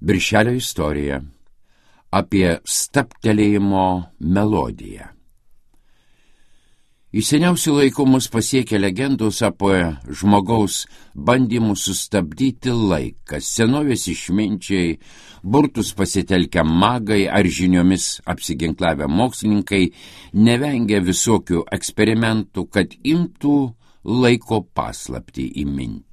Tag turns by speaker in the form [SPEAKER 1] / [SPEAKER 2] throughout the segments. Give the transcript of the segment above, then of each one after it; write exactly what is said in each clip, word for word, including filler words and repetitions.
[SPEAKER 1] Birželio istorija apie stabtelėjimo melodiją. Iš seniausių laikų mus pasiekia legendos apie žmogaus bandymus sustabdyti laiką. Senovės išminčiai, burtus pasitelkę magai ar žiniomis apsiginklavę mokslininkai nevengia visokių eksperimentų, kad imtų laiko paslaptį įminti.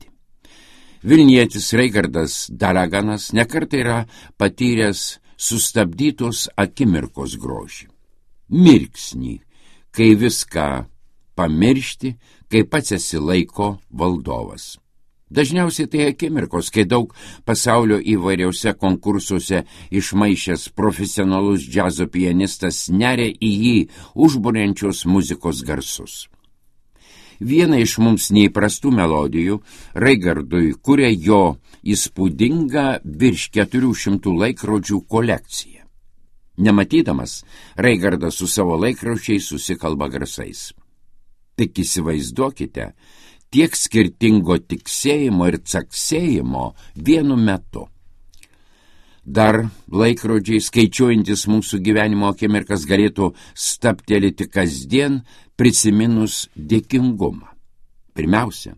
[SPEAKER 1] Vilnietis Raigardas Daraganas nekartą yra patyręs sustabdytos akimirkos grožį. Mirksnį, kai viską pamiršti, kai pats esi laiko valdovas. Dažniausiai tai akimirkos, kai daug pasaulio įvairiausiose konkursuose išmaišęs profesionalus džiazo pianistas neria į jį užburiančios muzikos garsus. Vieną iš mums neįprastų melodijų Raigardui kuria jo įspūdinga virš keturių šimtų laikrodžių kolekcija. Nematydamas, Raigardas su savo laikrodžiais susikalba garsais. Tik įsivaizduokite, tiek skirtingo tiksėjimo ir caksėjimo vienu metu. Dar laikrodžiai, skaičiuojantis mūsų gyvenimo akimirkas, galėtų stabtelėti kasdien prisiminus dėkingumą. Pirmiausia,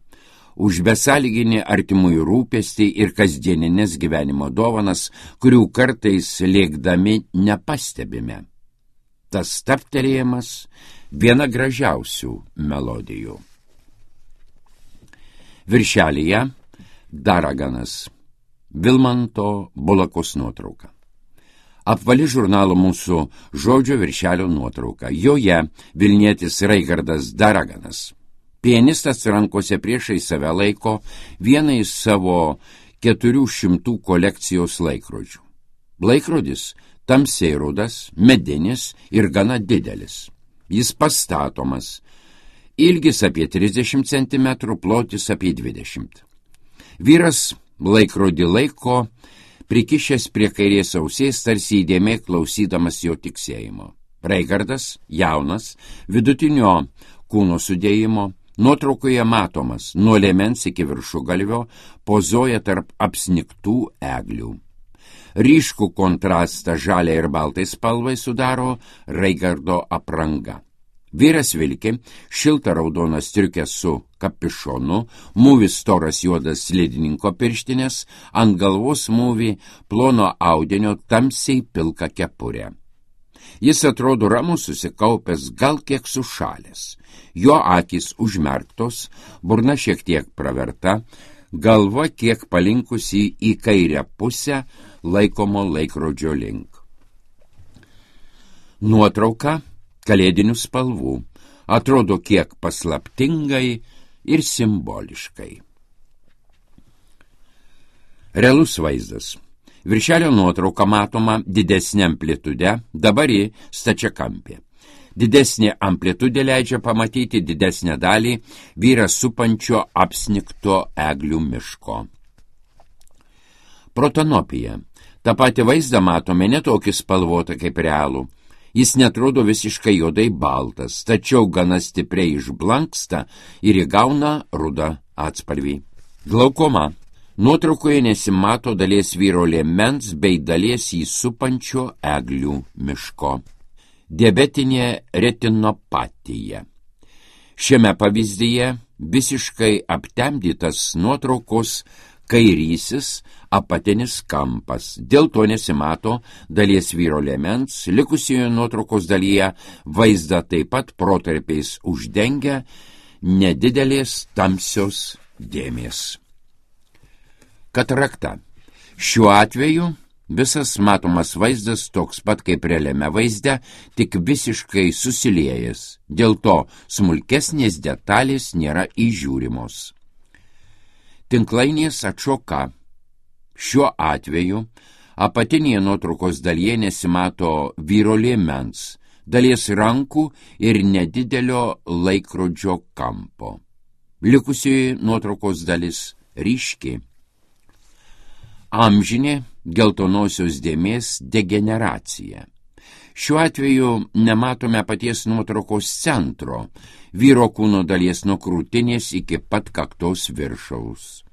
[SPEAKER 1] už besąlyginį artimųjų rūpestį ir kasdieninės gyvenimo dovanas, kurių kartais lėkdami nepastebime. Tas stabtelėjimas viena gražiausių melodijų. Viršelyje Daraganas, Vilmanto Bulakos nuotrauka. Apvali žurnalo Mūsų žodžio viršelio nuotrauka. Joje vilnietis Raigardas Daraganas. Pianistas rankose priešai save laiko vieną iš savo keturių šimtų kolekcijos laikrodžių. Laikrodis tamsiai rudas, medinis ir gana didelis. Jis pastatomas, ilgis apie trisdešimt centimetrų, plotis apie dvidešimt. Vyras laikrodį laiko, prikišęs prie kairės ausies, tarsi įdėmiai klausydamas jo tiksėjimo. Raigardas, jaunas, vidutinio kūno sudėjimo, nuotraukoje matomas, nuo liemens iki viršugalvio, pozuoja tarp apsnigtų eglių. Ryškų kontrastą žaliai ir baltai spalvai sudaro Raigardo apranga. Vyras vilki šiltą raudoną striukę su kapišonu, mūvi storas juodas slidininko pirštinės, ant galvos mūvi plono audinio tamsiai pilka kepurė. Jis atrodo ramus, susikaupęs, gal kiek sušalęs. Jo akys užmerktos, burna šiek tiek praverta, galva kiek palinkusi į kairę pusę laikomo laikrodžio link. Nuotrauka kalėdinių spalvų atrodo kiek paslaptingai ir simboliškai. Realus vaizdas. Viršelio nuotrauka matoma didesnė amplitude, dabar ji stačiakampė. Didesnė amplitudė leidžia pamatyti didesnę dalį vyrą supančio apsnigto eglių miško. Protanopija. Ta pati vaizdą matome netokį spalvotą kaip realų. Jis netrodo visiškai juodai baltas, tačiau gana stipriai išblanksta ir įgauna rudą atspalvį. Glaukoma. Nuotraukoje nesimato dalies vyro liemens bei dalies jį supančio eglių miško. Diabetinė retinopatija. Šiame pavyzdyje visiškai aptemdytas nuotraukos kairysis apatinis kampas. Dėl to nesimato dalies vyro liemens, likusioje nuotraukos dalyje vaizdą taip pat protarpiais uždengia nedidelės tamsios dėmės. Katarakta. Šiuo atveju visas matomas vaizdas toks pat kaip realiame vaizde, tik visiškai susiliejęs. Dėl to smulkesnės detalės nėra įžiūrimos. Tinklainės atšoka. Šiuo atveju apatinėje nuotraukos dalyje nesimato vyro liemens, dalies rankų ir nedidelio laikrodžio kampo. Likusioji nuotraukos dalis ryški. Amžinė geltonosios dėmės degeneracija. Šiuo atveju nematome paties nuotraukos centro, vyro kūno dalies nuo krūtinės iki pat kaktos viršaus.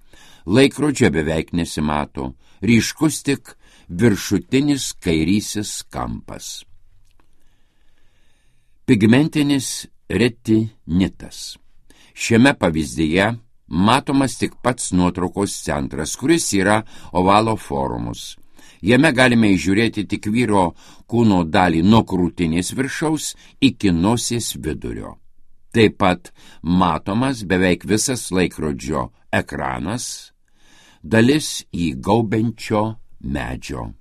[SPEAKER 1] Laikrodžio beveik nesimato, ryškus tik viršutinis kairysis kampas. Pigmentinis retinitas. Šiame pavyzdyje matomas tik pats nuotraukos centras, kuris yra ovalo formos. Jame galime įžiūrėti tik vyro kūno dalį nuo krūtinės viršaus iki nosies vidurio. Taip pat matomas beveik visas laikrodžio ekranas, dalis jį gaubiančio medžio.